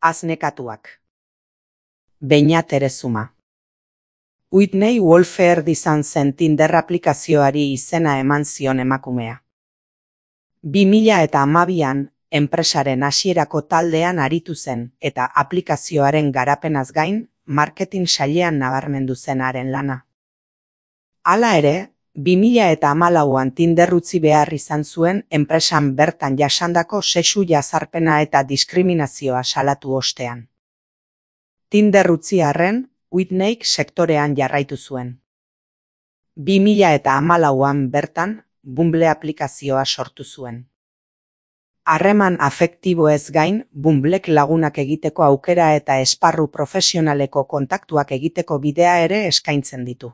Aznekatuak. Beñat Erezuma. Whitney Wolford izan zen Tinder aplikazioari izena eman zion emakumea. 2012an, enpresaren hasierako taldean aritu zen eta aplikazioaren garapenaz gain, marketing sailean nabarmendu zen haren lana. Hala ere, 2014an Tinder utzi behar izan zuen enpresan bertan jasandako sexu jazarpena eta diskriminazioa salatu ostean. Tinder utzi arren, Whitneyk sektorean jarraitu zuen. 2014an bertan, Bumble aplikazioa sortu zuen. Harreman afektiboez gain, Bumblek lagunak egiteko aukera eta esparru profesionaleko kontaktuak egiteko bidea ere eskaintzen ditu.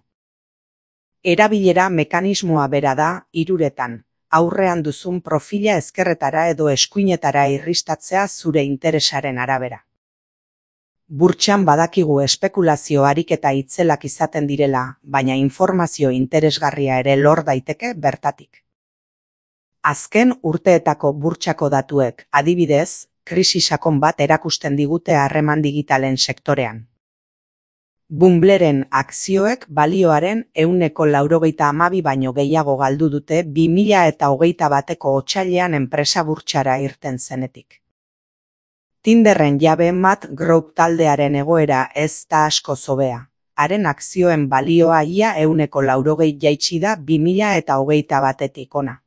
Erabilera mekanismoa bera da, hiruretan, aurrean duzun profila ezkerretara edo eskuinetara irristatzea zure interesaren arabera. Burtsan badakigu espekulazio ariketa itzelak izaten direla, baina informazio interesgarria ere lor daiteke bertatik. Azken urteetako burtsako datuek, adibidez, krisi sakon bat erakusten digute harreman digitalen sektorean. Bumbleren akzioek balioaren 92% baino gehiago galdu dute 2021ko otsailean enpresa burtsara irten zenetik. Tinderren jabe Matt Group taldearen egoera ez da asko hobea. Haren akzioen balioa ia 180 jaitsi da 2021etik ona.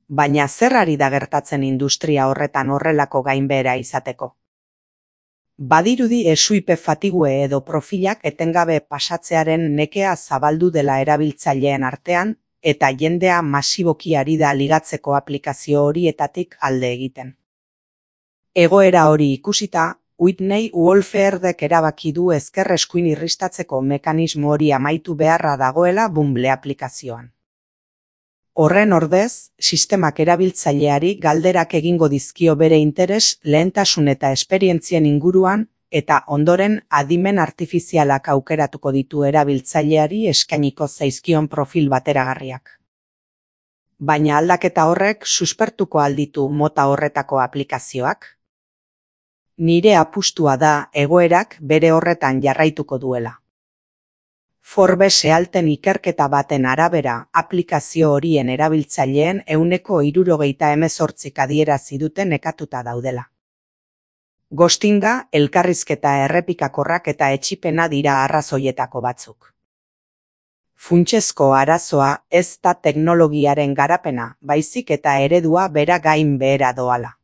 Baina zer ari da gertatzen industria horretan horrelako gainbehera izateko? Badirudi esuipe fatigue edo profilak etengabe pasatzearen nekea zabaldu dela erabiltzaileen artean, eta jendea masiboki ari da ligatzeko aplikazio horietatik alde egiten. Egoera hori ikusita, Whitney Wolfordek erabaki du ezker eskuin irristatzeko mekanismo hori amaitu beharra dagoela Bumble aplikazioan. Horren ordez, sistemak erabiltzaileari galderak egingo dizkio bere interes, lehentasun eta esperientzien inguruan, eta ondoren adimen artifizialak aukeratuko ditu erabiltzaileari eskainiko zaizkion profil bateragarriak. Baina aldaketa horrek suspertuko alditu mota horretako aplikazioak? Nire apustua da egoerak bere horretan jarraituko duela. Forbes ealten ikerketa baten arabera, aplikazio horien erabiltzaileen 78%k adierazi dute nekatuta daudela. Ghostinga, elkarrizketa errepikakorrak eta etsipena dira arrazoietako batzuk. Funtsezko arazoa ez da teknologiaren garapena, baizik eta eredua bera gain behera doala.